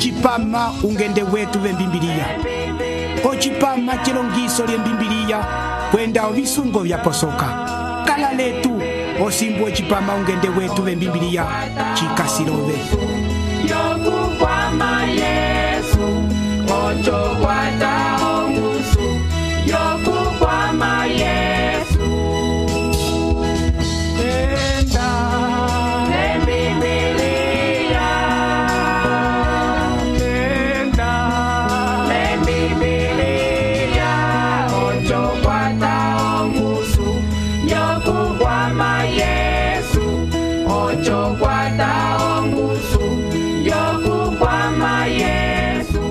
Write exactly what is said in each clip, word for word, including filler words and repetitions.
ocipama ungende wetu vembimbiliya, ocipama cilongiso lyembimbiliya kwenda ovisungo vyaposoka. Kala letu osimbu ocipama ungende wetu vembimbiliya cikasilove. Yokukwama Yesu, ocho kwata ongusu. Yokukwama Yesu, enda lembibiliya, enda lembibiliya, ocho kwata ongusu. Yokukwama Yesu, ocho kwata ongusu. Yokukwama Yesu,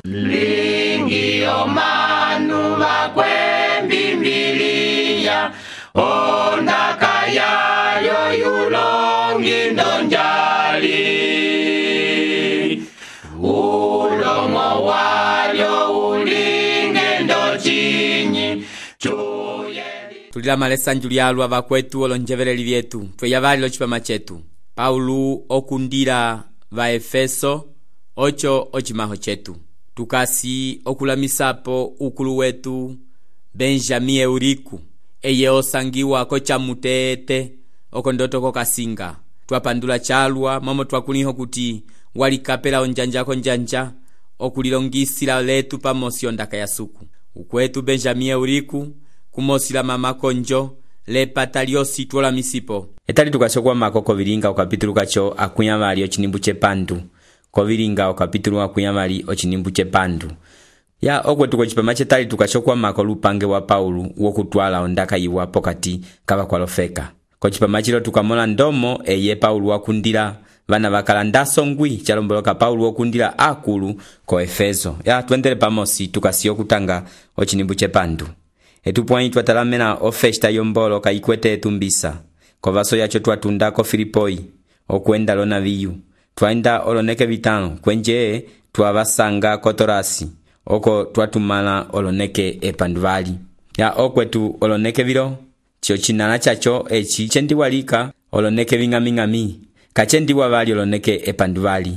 lingi omanu vakwembimbiliya, ondaka yayo yulongi ndonjali, ulomo walyo ulinge ndochinyi chuyeli. Tulila malesanju lyalwa vakwetu olonjeveleli vyetu tweya vali locipama chetu. Paulo okundila va Efeso ocho ochimaho chetu. Tukasi okulamisapo ukulu wetu Benjamie Euriku eye osangiwa kocha mutete okondoto kokasinga. Twapandula chalwa momo twakuliho kuti walikapela onjanja konjanja okulilongisila letu pamosi ondaka ya suku. Ukwetu Benjamie Euriku kumosila mama konjo lepata lyosi twola misipo. Etali tukasokwa mako kovilinga okapitulu kacho akunyamali ochinimbu chepandu. Kovilinga okapitulu akunyamali ochinimbu chepandu. Ya okwe tuko chipama chetali tukasokwa mako lupange wa Paulo wokutwala ondaka yiwa pokati kaba kwalofeka. Kochipama chilo tukamola ndomo eye Paulo wakundila vana vakalanda songwi chalomboloka Paulo wakundila akulu ko Efeso. Ya tuendele pamosi tukasio kutanga ochinimbu chepandu. Etupwani twatalamena ofesta yombolo kaikwete etumbisa. Kovaso yacho twatundako Filipoi okwenda lona viyu. Twaenda oloneke vitano kwenje twavasanga kotorasi oko twatumala oloneke epanduvali. Ya okwetu oloneke vilo chio chinala chacho echi chendiwalika oloneke vingami-ngami kachendiwa vali oloneke epanduvali.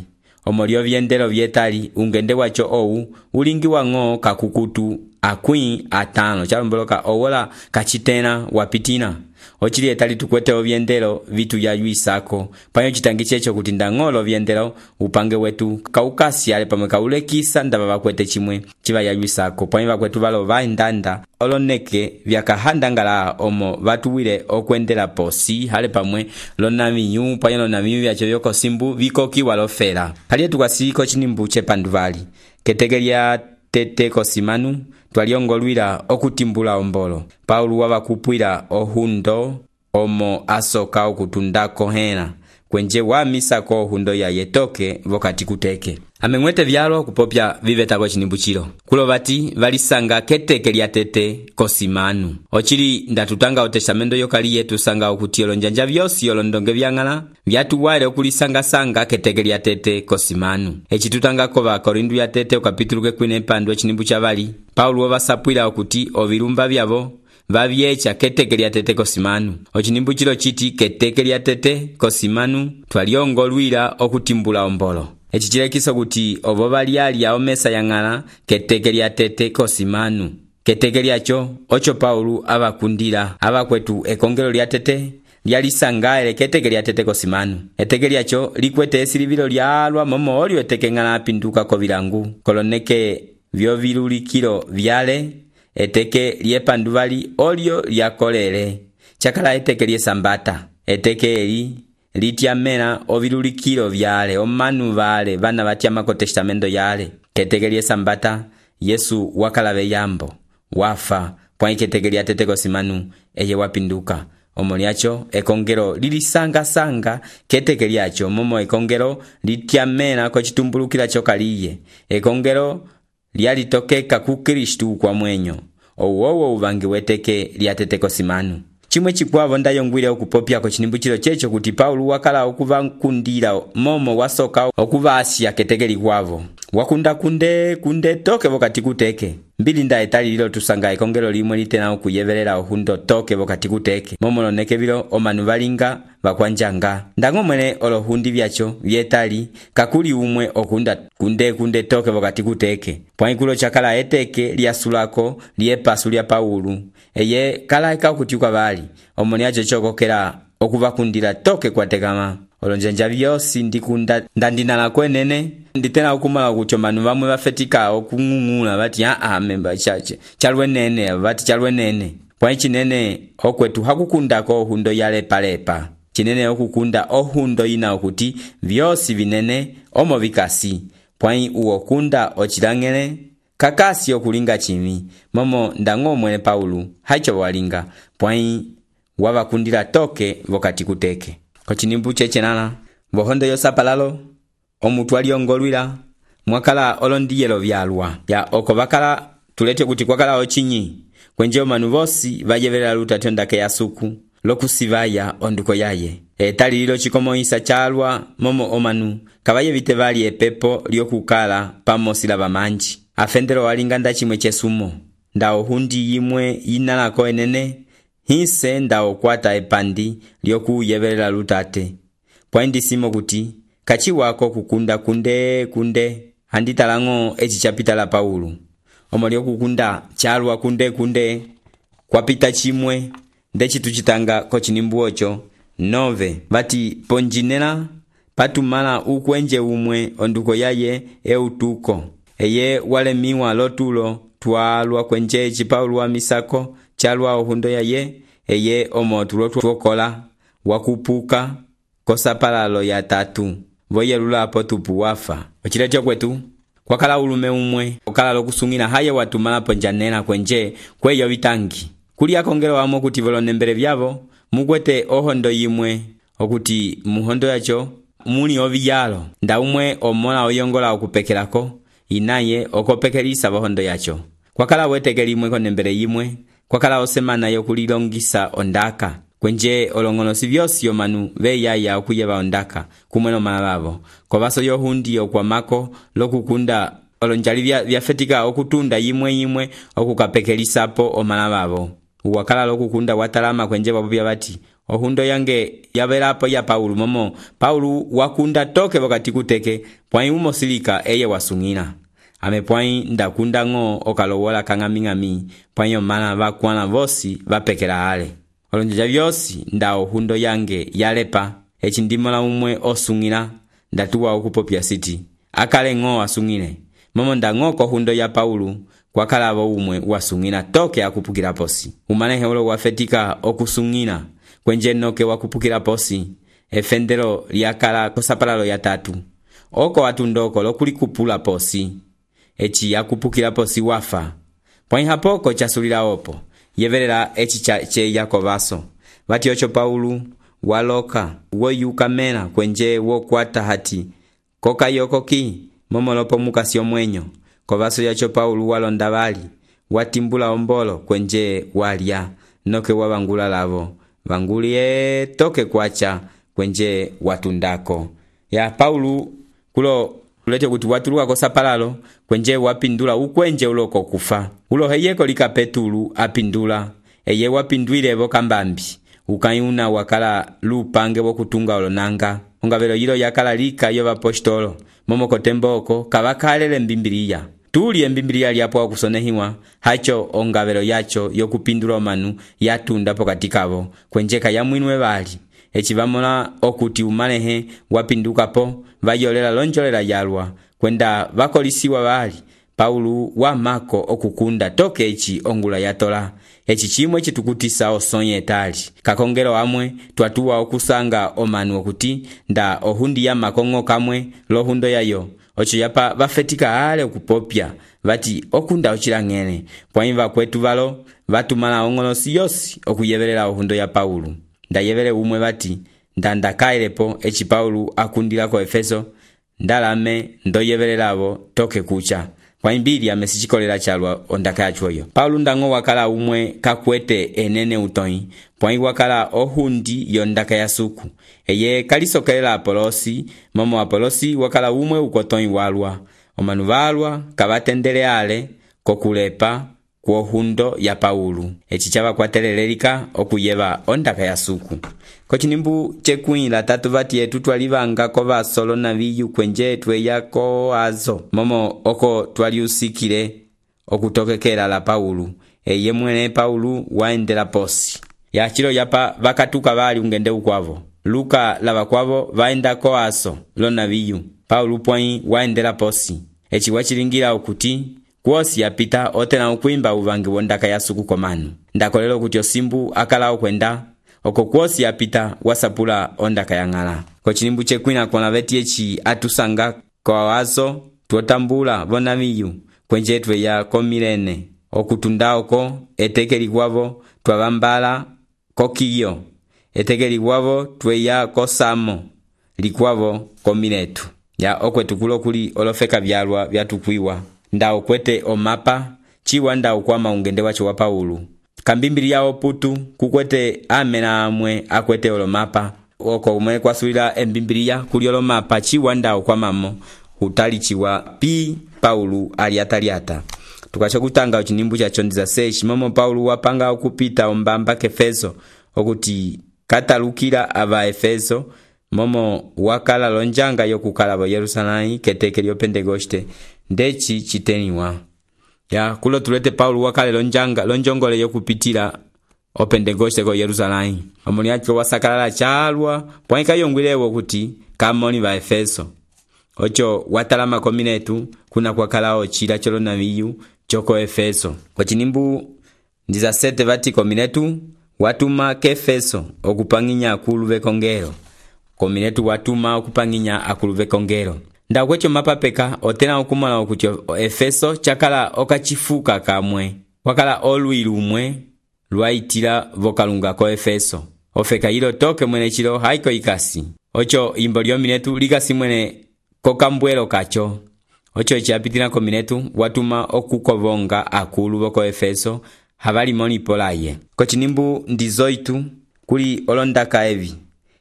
Omolio vyendelo vyetali ungende wacho owu ulingi wango kakukutu akwi atano chalomboloka owola kachitena wapitina. Ochili etali tukwete ovyendelo vitu ya yuisako panyo chitangiche echo kutinda ngolo vyendelo upange wetu kaukasi ale pamwe kaulekisa ndaba bakwete chimwe chiva ya yuisako panyo bakwetu valo vaindanda oloneke vyakahandangala omo vatuwile okwendela posi hale pamwe lona minyu panyo lona minyu vyacho yoko simbu vikoki walofela. Hali etu kwasiko chinimbu chepanduvali ketegelia tete kosimanu twaliongolwila okutimbula ombolo. Paulo wavakupwila ohundo omo asoka okutundako hena kwenje wamisako ohundo ya yetoke vokati kuteke. Amengwete vyalo kupopya vivetako chinimbu chilo. Kulo vati valisanga keteke lya tete kosimanu. Ochili ndatutanga otestamento yokali yetu sanga okutiolo njanja vyosi yolondonge vyangala vyatuwale okulisanga sanga keteke lya tete kosimanu. Echi tutanga kova Korindu ya tete okapitulu kekwine pandu chinimbu chavali. Paulo vasapwila okuti ovilumba vyavo vavyecha keteke lya tete kosimanu. Ochinimbu chilo chiti keteke lya tete kosimanu twaliongolwila okutimbula ombolo. Echi chilekiso kuti ovo valiali ya omesa yangala keteke lya tete kosimanu. Keteke lyacho ocho Paulo abakundila abakwetu ekongelo lya tete lyalisangaele keteke lya tete kosimanu. Eteke lyacho likwete esilivilo lyalwa momo olio eteke ngala apinduka kovilangu koloneke vyo vilulikilo vyale eteke lyepanduvali olio lyakolele chakala eteke lyesambata. Eteke eli litiamena ovilulikilo vyale omanu vale vana vatiamako testamento yale. Keteke lyesambata Yesu wakalave yambo wafa pwa keteke lya tete kosimanu eye wapinduka. Omo lyacho ekongelo lilisanga sanga keteke lyacho momo ekongelo litiamena ko chitumbulukila chokaliye. Ekongelo lyalitokeka ku Kristu kwa mwenyo owowo uvangi weteke lya tete kosimanu. Chimwe chikwavo ndayongwile okupopya ko chinimbu chilo checho kuti Paulo wakala okuva nkundila momo wasoka okuva Asia keteke likwavo. Wakunda kunde kunde toke vokati kuteke. mbilinda etali lilo tusanga ekongelo limwe litena okuyevelela ohundo toke vokati kuteke momo loneke vilo omanu valinga vakwanjanga ndango mwene olohundi vyacho vyetali kakuli umwe okunda kunde kunde toke vokati kuteke pwaikulo chakala eteke lyasulako lyepasu lya Paulu eye kala eka okutiuka vali omoni acho chokokela okuvakundila toke kwatekama olonjanja vyosi ndikunda ndandinala kwenene nditena okumala kuti omanu vamwe vafetika okung'ung'ula vati aa memba chache chalwenene vati chalwenene pwa chinene okwetu hakukundako ohundo yalepalepa chinene okukunda ohundo ina okuti vyosi vinene omo vikasi pwai uokunda ochilangele kakasi okulinga chimi momo ndango mwene Paulu haicho walinga pwai wavakundila toke vokati kuteke kochinimbu chechenana vohondo yosapalalo omutu aliongolwila mwakala olondiyelo vyalwa ya oko vakala tulete kuti kwakala ochinyi kwenje omanu vosi vayevelela lutatyo ndake ya suku lokusivaya onduko yaye etali lilo chikomoisa chalwa momo omanu kavayevite vali epepo lyokukala pamosila vamanji afendelo walinga ndachimwe chesumo ndao hundi yimwe inalako enene hise ndao kwata epandi lyokuyevelela lutate pwaindisimo kuti kachi wako kukunda kunde kunde handitalango echi chapita la Paulu omo lyokukunda chalwa kunde kunde kwapita chimwe ndechi tuchitanga kochinimbu ocho nove vati ponjinela patumala ukwenje umwe onduko yaye eutuko eye walemiwa lotulo twalwa kwenje chi Paulu wa misako chalwa ohundo yaye eye omo tulotuokola wakupuka kosapalalo ya tatu voyelula apo tupu wafa ochiletyo kwetu kwakala ulume umwe okala lokusungina haye watumala ponjanela kwenje kweyo vitangi kuli akongelo wamo kuti volonembele vyavo mukwete ohondo yimwe okuti muhondo yacho muni oviyalo nda umwe omola oyongola okupekelako inaye okopekelisa vohondo yacho kwakala weteke limwe konembele yimwe kwakala osemana yokulilongisa ondaka kwenje olongonosi vyosi omanu veyaya okuyeva ondaka kumweno malavo kovaso yohundi okwamako lokukunda olonjali vya vyafetika okutunda yimwe yimwe okukapekelisapo omalavavo uwakala lokukunda watalama kwenje vapopya vati ohundo yange yavelapo ya Paulu momo Paulu wakunda toke vokati kuteke pwai umosilika eye wasungina ame pwai ndakunda ngo okalowola kang'aming'ami pwai omana vakwana vosi vapekela ale olonjanja vyosi nda ohundo yange yalepa echi ndimola umwe osungila ndatuwa okupopya siti akale ngo asungile momo ndango kohundo ya Paulu kwakalavo umwe wasungila toke akupukila posi umanehe ulo wafetika okusungila kwenje noke wakupukila posi efendelo lyakala kosapalalo ya tatu oko atundoko lokulikupula posi echi akupukila posi wafa pwai hapoko chasulila opo yevelela echi cha che yakovaso vati ocho Paulu waloka woyuka mena kwenje wokwata hati koka yokoki momolopo mukasi omwenyo kovaso yacho Paulu walonda vali watimbula ombolo kwenje walya noke wavangula lavo vangulie toke kwacha kwenje watundako ya Paulu kulo ulete kuti watuluka kosapalalo kwenje wapindula ukwenje uloko kufa ulo heyeko likapetulu apindula eye wapindwile vokambambi ukayuna wakala lupange wokutunga olonanga ongavelo yilo yakala lika yo vapostolo momoko temboko kavakalele mbimbiliya tuli embimbiliya lyapo wakusonehiwa hacho ongavelo yacho yokupindula omanu yatunda pokati kavo kwenjeka ya mwinwe vali echi vamola okuti umalehe wapindukapo vayolela lonjolela yalwa kwenda vakolisiwa vali Paulu wa mako okukunda toke echi ongula yatola echi chimwe chitukutisa osonye etali kakongelo amwe twatuwa okusanga omanu okuti nda ohundi ya makongo kamwe lohundo yayo ocho yapa vafetika ale okupopya vati okunda ochilangene pwaimva kwetu valo vatumala ongonosi yosi okuyevelela ohundo ya Paulu ndayevele umwe vati ndandakailepo echi Paulu akundila ko Efeso ndalame ndoyevelelavo toke kucha kwa imbili amesichikolela chalwa ondaka yachoyo Paulu ndango wakala umwe kakwete enene utoi pwai wakala ohundi yondaka ya suku eye kalisokelela Apolosi momo Apolosi wakala umwe ukotoi walwa omanu valwa kavatendele ale kokulepa kwohundo ya Paulo eci cavakwatelelelika okuyeva ondaka ya suku. Kocinimbu cekwĩ la tatu vati etu twalivanga kovasolo na viyu kwenje tweya ko azo momo oko twaliusikile okutokekela la Paulo eye mwene Paulo waendela posi ya chilo yapa vakatuka vali ungende ukwavo. Luka lava kwavo vaenda ko aso lo na viyu Paulo pwai waendela posi eci wachilingira okuti kwosi yapita otena ukwimba uvangi wondaka ya suku komanu. Ndakolelo okuti osimbu akala okwenda oko kwosi yapita wasapula ondaka ya ng'ala. Kocinimbu cekwina kona veti eci atusanga kwa wazo tuotambula vona viyu kwenje tweya komilene okutunda oko etekeli kwavo twavambala kokiyo etekeli kwavo tweya kosamo likwavo komiletu ya okwetukulo kuli olofeka vyalwa vyatukwiwa nda okwete omapa chiwa nda ukwama ungende wacho wa Paulo kambimbili yao putu kukwete amena amwe akwete olomapa oko umwe kwasulila embimbilia kuli olomapa chiwa nda ukwamamo utalichiwa pi Paulo aliataliata. Tukacho kutanga ucinimbu cha chondiza seshi momo Paulo wapanga okupita ombamba kefeso okuti katalukila ava Efeso momo wakala lonjanga yokukala vo Yerusalemu keteke lyo Pentekoste ndeci chiteniwa ya kulo tulete Paulo wakale lonjanga lonjongole yokupitila o Pentekoste ko Yerusalemu omuli acho wasakalala chalwa pwaika yongwilewo kuti kamoni va Efeso ocho watalama kominetu kuna kwakala ochila cholo na viyu choko Efeso. Kocinimbu ndiza sete vati kominetu watuma ke Efeso okupanginya akuluve kongero. Kominetu watuma okupanginya akuluve kongero. Nda kwecho mapapeka otena okumala okuti Efeso chakala okachifuka kamwe. Wakala olwilu umwe lwaitila vokalunga ko Efeso. Ofeka hilo toke mwene chilo haiko ikasi. Ocho imbo lyo minetu likasi mwene kokambwelo kacho. Ocho echiapitila kominetu watuma okukovonga akulu voko Efeso havali moni polaye. Kocinimbu ndizoitu kuli olondaka evi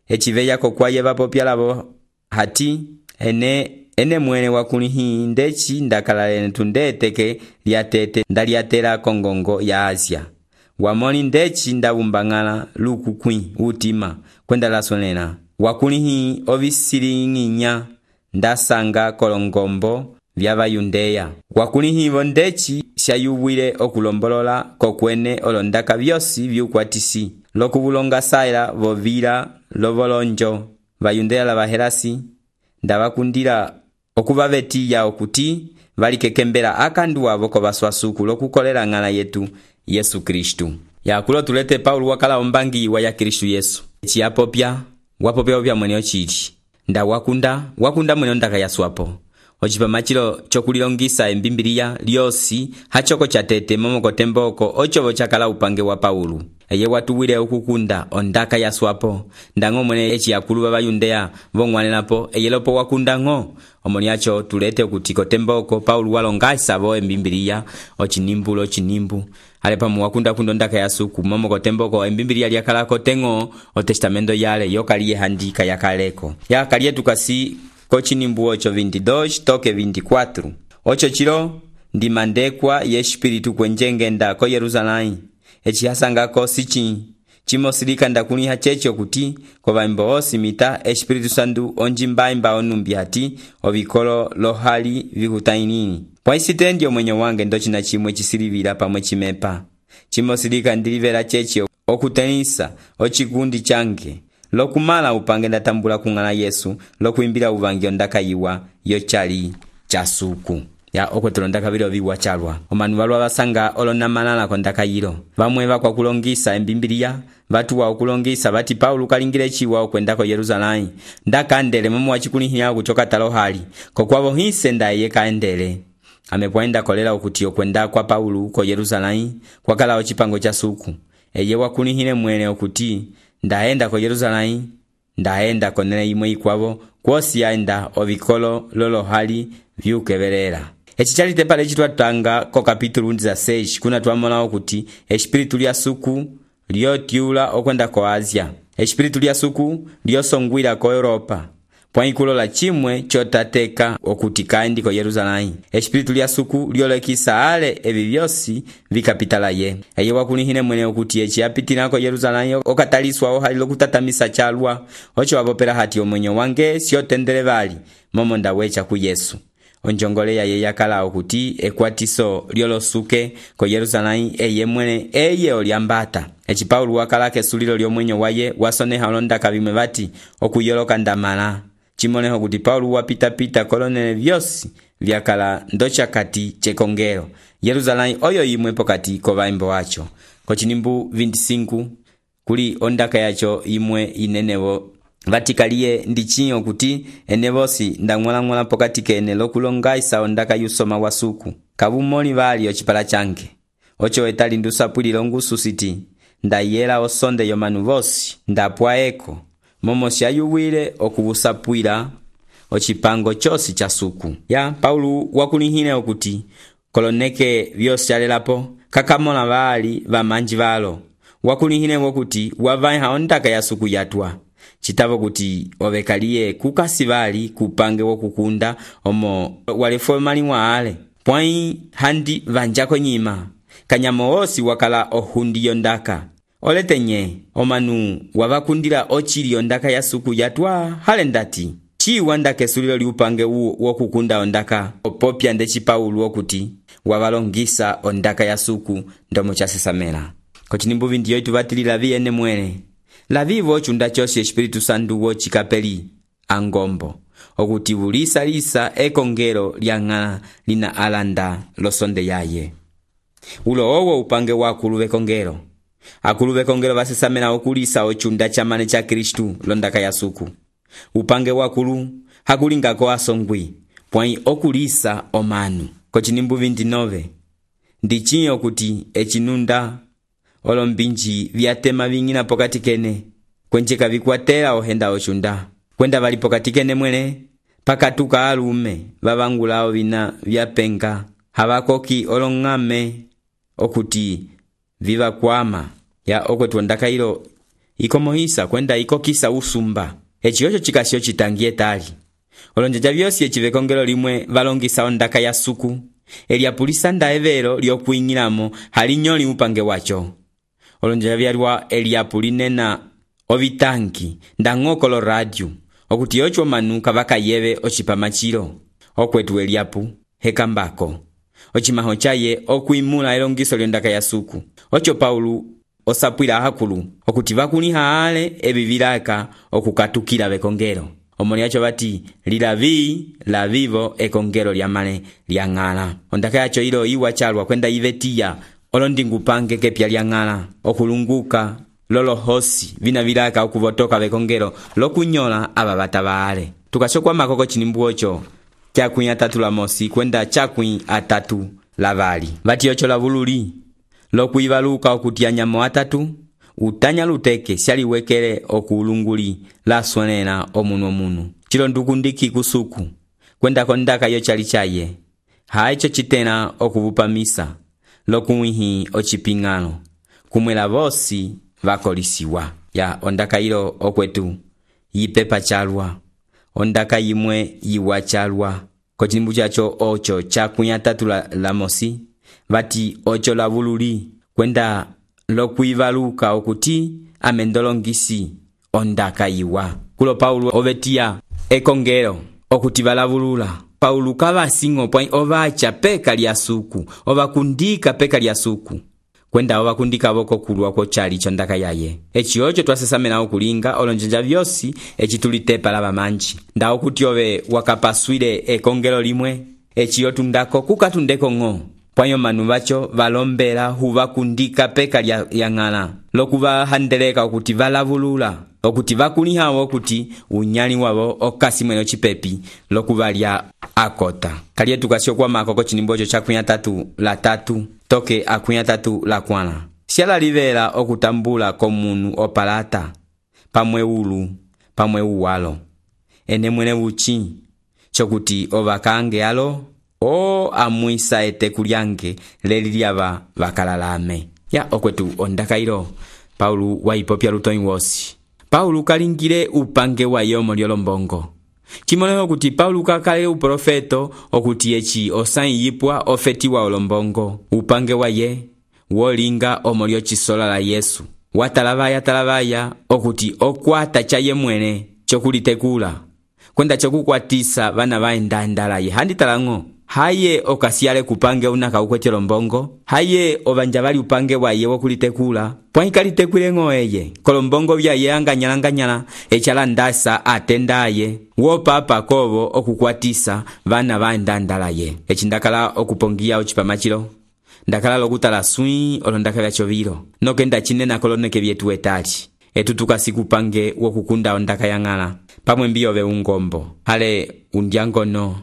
echiveya kokwaye vapopyalavo hati ene ene mwene wakuni hii ndechi ndakalale tundeteke liatete ndaliatela kongongo ya Asia wamoni ndechi ndavumbangala luku kwi utima kwenda lasonena wakuni hii ovisilinginya ndasanga kolongombo vyava Yundeya wakuni hivo ndechi shayuwile okulombolola kokwene olondaka vyosi vyukwatisi lokuvulonga saila vovila lovolonjo vayundeya la vahelasi ndavakundila okuvavetiya okuti valikekembela akandu wavo kovaswasuku lokukolela ng'ala yetu Yesu Kristu. Ya kulo tulete Paulo wakala ombangi wa ya Kristu Yesu echiyapopya wapopya opya mwene ochili nda wakunda wakunda mwene ondaka yaswapo ochipama chilo chokulilongisa embimbilia lyosi hachoko chatete momoko temboko ochovo chakala upange wa Paulo eye watuwile ukukunda ondaka yaswapo ndango mwene echi yakulu baba Yundeya vongwanelapo eye lopo wakunda ngo omoniacho tulete ukutiko temboko Paulo walongasa vo embimbilia ochinimbulo chinimbu alepa muwakunda kundo ondaka yasuku momoko temboko embimbilia lyakalako tengo o testamento yale yokaliye handika yakaleko yakaliye tukasi Kochinimbu ocho veintidós toke veinticuatro. Ocho chilo ndimandekwa ye espiritu kwenjengenda ko Yerusalemu. Echi hasanga ko sichi chimosilika ndakuni hachecho kuti ko vaimbo osimita espiritu sandu onjimbaimba onumbi hati ovikolo lohali vikutainini. Pwaisitendi omwenye wange ndochi na chimwe chisilivira pamwe chimepa. Chimosilika ndilivera chechi okutenisa ochikundi change. Lokumala upange ndatambula kung'ala Yesu lokuimbila uvangio ndakayiwa yochali chasuku ya okwetulondaka vilo viwa chalwa omanu valwa vasanga olonamalala kondakayilo vamwe vakwa kulongisa embimbilia vatu wa okulongisa vati Paulo kalingile chiwa okwendako Yerusalemu ndakandele momo wachikulihia kuchoka talohali kokwavo hise ndaye kaendele amepwaenda kolela okuti okwenda kwa Paulo ko Yerusalemu kwakala ochipango cha suku eye wakulihile mwene okuti ndaenda ko Yerusalemu ndaenda konene imwe ikwavo kwosi yaenda ovikolo lolo hali vyukevelela echi chali tepale chitwatanga ko kapitulu ndiza seis kuna tuamola okuti espiritu lya suku lyotyula okwenda ko Asia espiritu lya suku lyosongwila ko Europa pwai kulola chimwe chotateka okuti kaendi ko Yerusalém. Espiritu lya suku lyolekisa ale evi vyosi vikapitala ye. Eye wakulihine mwene okuti echi apitina ko Yerusalém okataliswa ohali lokutatamisa chalwa. Ocho wapopela hati omwenyo wange siotendele vali momonda wecha ku Yesu. Onjongole ya ye yakala okuti ekwatiso lyolosuke ko Yerusalém eye mwene eye oliambata. Echi Paulo wakala kesulilo lyomwenyo waye wasoneha olonda kabimwe bati okuyoloka ndamala. Chimoneho kuti Paulo wapita pita kolonele vyosi vyakala ndocha kati chekongero. Yerusalém oyo imwe pokati ko vaimbo wacho. Ko chinimbu vinti-cinco kuli ondaka yacho imwe inenevo vatikaliye ndichinyo kuti enevosi ndang'ola-ng'ola pokati kene lokulongaisa ondaka yusoma wasuku. Kabumoli vali ochipala chanke. Ocho etali ndusapwililo ngusu siti ndayela osonde yomanu vosi ndapwaeko momo syayuwile okubusapwila ochipango chosi cha suku. Ya Paulo wakulihine okuti koloneke vyosi alelapo kakamola vali vamanji valo. Wakulihine okuti wavaiha ondaka ya suku yatwa. Chitavo kuti ovekaliye kukasi vali kupange wokukunda omo walefo mali waale. Pwai handi vanjako nyima. Kanyamo osi wakala ohundi yondaka. Olete nye, omanu wavakundila ochili ondaka ya suku yatwa halendati. Chi wanda kesulilo liupange uo wokukunda ondaka. Opopya ndechi Paulo okuti wavalongisa ondaka ya suku ndomo chasesamela. Kochinimbu vinti yoitu vatili lavi ene mwene. Lavivo chunda chosi Espiritu Santu wo chikapeli angombo. Okuti vulisa lisa ekongero lyang'ala lina alanda losonde yaye. Ulo owo upange wa akuluve kongero. Akuluve kongero vasesamela okulisa ochunda chamane cha Kristu londaka ya suku. Upange wa akulu hakulingako asongwi. Pwai okulisa omanu. Kochinimbu vinti-nove. Ndichinyo kuti echinunda olombinji vyatema vingina pokati kene. Kwencheka vikwatela ohenda ochunda. Kwenda vali pokati kene mwene. Pakatuka alume vavangulao vina vyapenga. Habakoki olongame okuti viva kwama. Ya okwetu ondaka ilo ikomohisa kwenda ikokisa usumba. Echiyocho chikasio chitangie tali. Olonjaja vyosi echivekongelo limwe valongisa ondaka ya suku. Eliapulisa nda evero liokuingilamo halinyoli upange wacho. Olonjaja vyalwa eliapulinena ovitanki ndang'okolo radio. Okuti yocho manu kavaka yeve ochipamachilo. Okwetu eliapu hekambako. Ochimaho chaye okuimula elongiso lyondaka ya suku. Ocho Paulo osapwila hakulu okuti vakuniha ale ebivilaka okukatukila bekongero. Omoni yacho bati lilavi la vivo ekongero lyamale lyang'ala. Ondaka yacho ilo iwa chalwa kwenda ivetia olondingu pange kepya lyang'ala okulunguka lolo hosi vina vilaka okuvotoka bekongero lokunyola aba batabale. Tukashokwa makoko chinimbu ocho chakwi atatu la mosi kwenda chakwi atatu la vali. Vati ocho la vululi lokuivaluka okutia nyamo atatu utanya luteke syaliwekele okulunguli la sonena omunu omunu. Chilo ndukundiki kusuku kwenda kondaka yo chali chaye. Haicho chitena okuvupamisa lokuwihi ochipingano kumwela vosi vakolisiwa. Ya ondaka ilo okwetu yipepa chalwa. Ondaka yimwe yiwa chalwa. Kochinimbu chacho ocho chakwi atatu la, la mosi. Vati ocho la vululi kwenda lokuivaluka okuti amendolongisi ondaka yiwa. Kulo Paulo ovetia ekongero okuti valavulula. Paulo kava singo pwai ovacha peka lya suku. Ovakundika peka lya suku. Kwenda ovakundika voko kulwa ko chali chondaka yaye. Echi ocho twasesamela okulinga olonjanja vyosi echi tulitepa lava manji. Nda okuti ove wakapaswile ekongero limwe. Echi yotundako kukatundeko ng'o. Pwanyo manu vacho valombela huvakundika peka lya yang'ala. Lokuva handeleka okuti valavulula. Okuti vakuniha okuti unyali wavo okasi mweno chipepi lokuva lya akota. Kaliye tukasio kwa makoko chinimbojo chakunya tatu la tatu. Toke akunya tatu la kwana. Siala livela okutambula komunu opalata. Pamwe ulu, pamwe uwalo. Ene mwene uchi. Chokuti ovakange alo. O amuisa ete kulyange lelilyava vakalalame. Ya okwetu ondaka ilo Paulo waipopya lutoi wosi. Paulo kalingile upange wa yomo lyolombongo. cimoleka okuti Paulo kakale uprofeto okuti eci osãyi yipwa ofetiwa olombongo upange waye wolinga omo lyocisola la Yesu watalavaya talavaya okuti okwata caye mwene cokulitekula kwenda cokukwatisa vana vaendandalaye handitalango haye okasiale kupange una kaukwete lombongo haye ovanja vali upange waye wokulitekula pwaikalitekwilengo eye kolombongo vyaye anganyalanganyala echala ndasa atendaye wopapa kovo okukwatisa vana vaendandalaye eci ndakala okupongiya ocipamacilo ndakala lokutala swii olo ndakala chovilo noke ndacinena koloneke vyetu etali etu tukasikupange wokukunda ondaka yang'ala pamwe mbiyo ve ungombo hale undyangono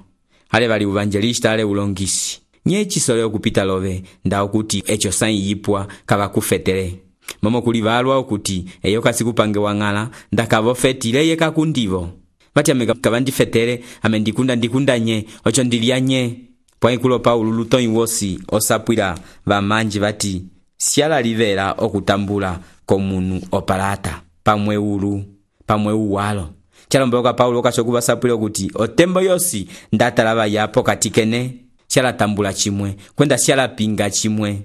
hale vali uvangelista hale ulongisi nye chisole okupita love nda okuti echo sayi yipwa kava kufetele momo kuli valwa okuti eyo kasikupange wang'ala ndakavofetile ye kakundivo vati ame kavandifetele ame ndikunda ndikunda nye ocho ndilia nye pwaikulo Paulo lutonyi wosi osapwila vamanji vati siala livela okutambula komunu opalata pamwe ulu pamwe uwalo chalomboka Paulo kashokuva sapwila okuti otembo yosi ndatalava yapo katikene siala tambula chimwe kwenda siala pinga chimwe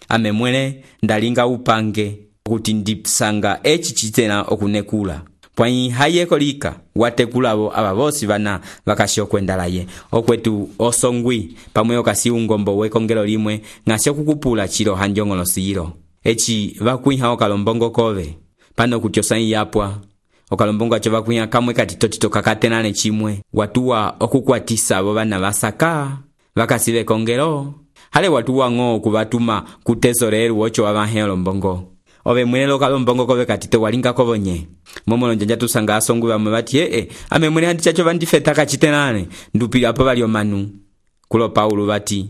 ame mwele ndalinga upange okuti ndipsanga echi chitena okunekula pwanyi hayeko lika watekulavo ava vosi vana vakasho kwendalaye okwetu osongwi pamwe okasi ungombo wekongelo limwe ngasho kukupula chilo hanjongolo silo echi vakuiha okalombongo kove pano kuti osayi yapwa okalombongo acho vakuiha kamwe katitotito kakatenane chimwe watuwa okukwatisa avo vana vasaka vakasive kongelo hale watuwa ng'o kuvatuma kutesoreru ocho wavahe olombongo ove mwene lokalombongo kove katito walinga kovonye momo lonjanja tusanga asongwi vamwe vati ee ame mwene handi chacho vandifeta kachitenane ndupila apo vali omanu kulo Paulo vati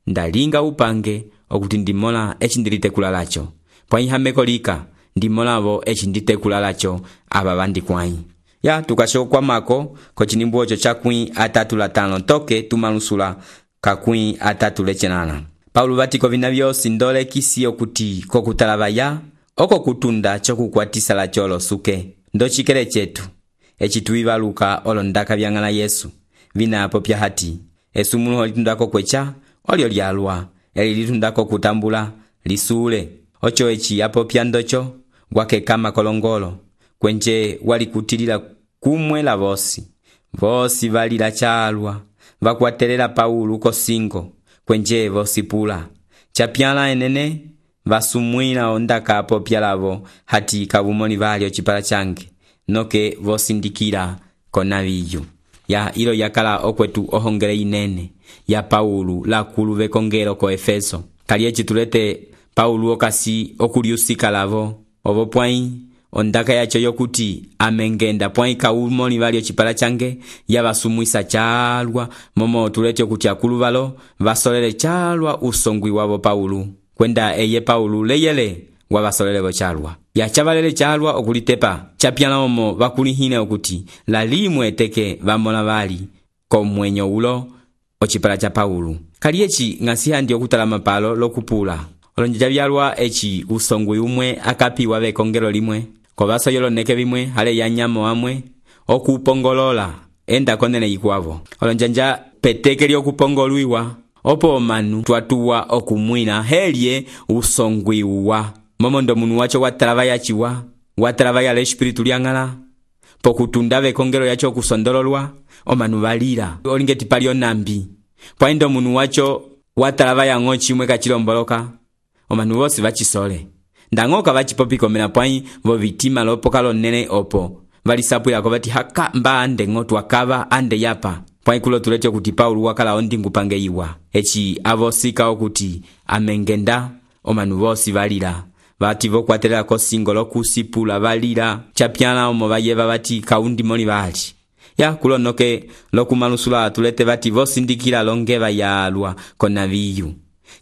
ndalinga upange okuti ndimola echi ndilitekula lacho pwanyi hameko lika ndimolavo echi nditekula lacho ava vandikwai ya tukasho kwa mako kochinimbu ocho chakwi atatu latano toke tumalusula kakwi atatu lechenana Paulo vati kovina vyosi ndole kisi okuti kokutalavaya oko kutunda chokukwatisa la cholo suke ndo chikele chetu echi tuivaluka olo ndaka vyang'ala Yesu vina apo pya hati esu munu holitundako kwecha olio lyalwa eli litundako kutambula lisule ocho echi apo pya ndocho gwake kama kolongolo kwenje wali kutilila kumwe la vosi vosi valila chalwa vakwatelela Paulo kosingo kwenje vosi pula chapyala enene vasumwina ondaka apo pyalavo hati kavumoni vali ochipala change noke vosindikira konaviyu ya ilo yakala okwetu ohongele inene ya Paulo la kuluve kongelo ko Efeso kali echi tulete Paulo okasi okuliusika lavo ovo pwai ondaka yacho yokuti amengenda pwai kavumoni vali ochipala change ya vasumwisa chalwa momo tulete okuti akuluvalo vasolele chalwa usongwi wavo Paulo kwenda eye Paulo leyele wabasolele bochalwa yachabalele chalwa okulitepa chapyana omo bakulihine okuti la limwe teke bamola bali komwenyo ulo ochipala cha Paulo kali echi ngasi handi okutala mapalo lokupula olonja byalwa echi usongwe umwe akapiwa be kongelo limwe kobaso yolo neke bimwe hale yanyamo amwe okupongolola enda konene ikwavo olonjanja peteke lyokupongolwiwa opo manu twatuwa okumwina helie usongwi uwa momondo munu wacho watalavaya chiwa watalavaya le espiritu lyang'ala pokutundave kongelo yacho kusondololwa omanu valira olingeti palio nambi pwaindo munu wacho watalavaya ng'o chimwe kachilomboloka omanu vosi vachisole ndangoka vachipopiko mena pwai vo vitima lopoka lonene opo valisapwila ko vati haka mba ande ng'o twakava ande yapa pwaikulo tulete okuti Paulo wakala ondingu pange iwa echi avosika okuti amengenda omanu vosi valira vati vokwatelela kosingo lokusipula valira chapyana omo vayeva vati kaundi moli vali ya kulonoke lokumalusula tulete vati vosindikila longeva yalwa konaviyu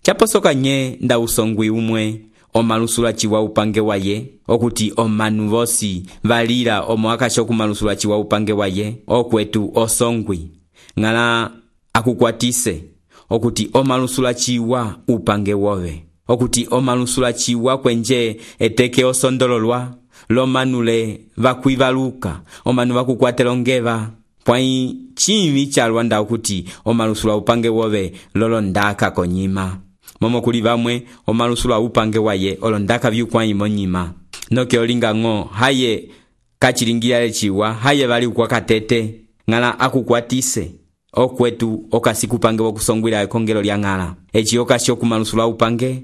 chaposoka nye nda usongwi umwe omalusula chiwa upange waye okuti omanu vosi valira omo akasho kumalusula chiwa upange waye okwetu osongwi ngala akukwatise okuti omalusula chiwa upange wove okuti omalusula chiwa kwenje eteke osondololwa lomanule vakuivaluka omanu vakukwatelongeva pwai chimi chalwa nda kuti omalusu lwa upange wove lolo ndaka konyima. Momo kuli vamwe omalusu lwa upange waye olo ndaka vyukwai monyima. Noke olinga ngo haye kachilingira chiwa haye vali kwa katete ngala akukwatise okwetu okasiku pange wokusongwila ekongelo lya ngala echi okasho ku malusu lwa upange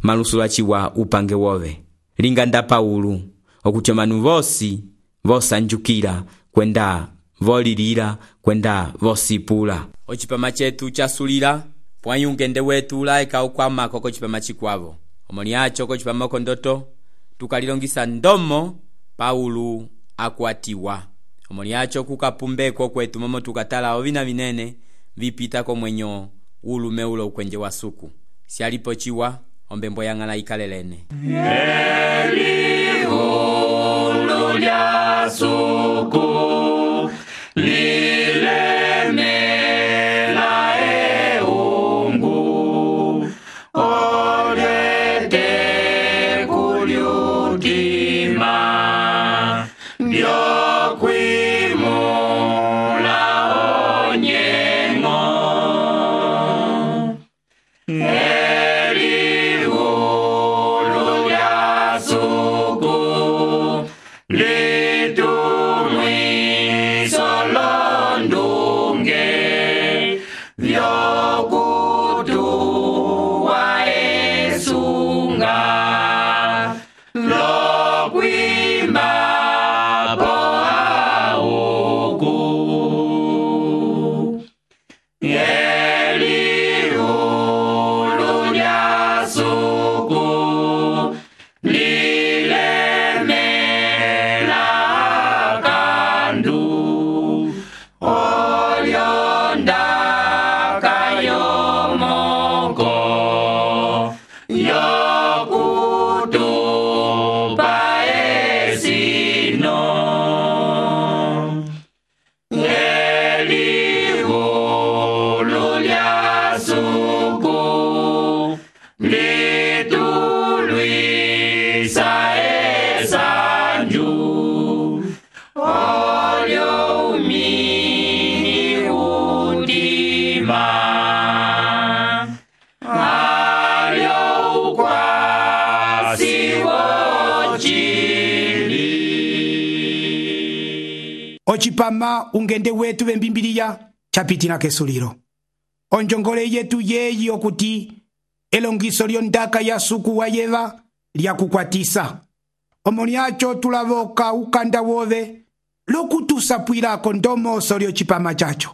malusu lwa chiwa upange wove linga nda Paulu okuti manu vosi vosanjukira kwenda volilira kwenda vosipula ochipama chetu chasulira pwanyi ungende wetu laika ukwama koko chipama chikwavo omoni acho ko chipama kondoto tukalilongisa ndomo Paulu akwatiwa omoni acho kukapumbeko kwetu momo tukatala ovina vinene vipita ko mwenyo ulume ulo ukwenje wa suku sialipo chiwa ombembo yangala ikalelene Eli ulu lya suku lile mela e ungu olete kuliutima ndio kwimula onyengo Eli ulu lya suku litumwi solondunge vyokutuwa esunga lokwima poa uku Eli ulu lya suku lilemela kandu olyonda kayomoko yokutupa esino Eli ulu lya suku litulwisa esanju olyo umini udima alyo ukwasi wochili ochipama ungende wetu vembimbiliya chapitila kesulilo onjongole yetu yeyi okuti elongiso lyondaka ya suku wa yeva lyakukwatisa omoni acho tulavoka ukanda wove lokutusapwilako ndomoso lyochipama chacho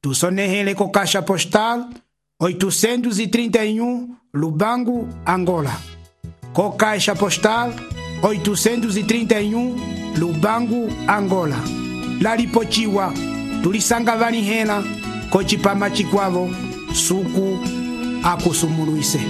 tusonehele ko kasha postal oitocentos e trinta e um Lubango, Angola. Co caixa postal oitocentos e trinta e um Lubango, Angola. Laripochiwa tulisanga vanihena kochipama chikwavo suku akusumuluise.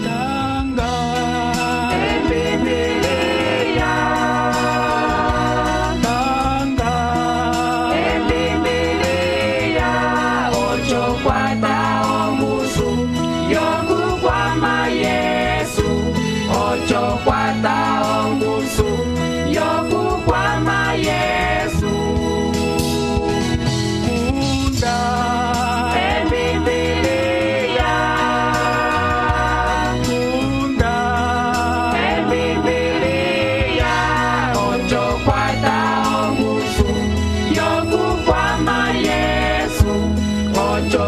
Yo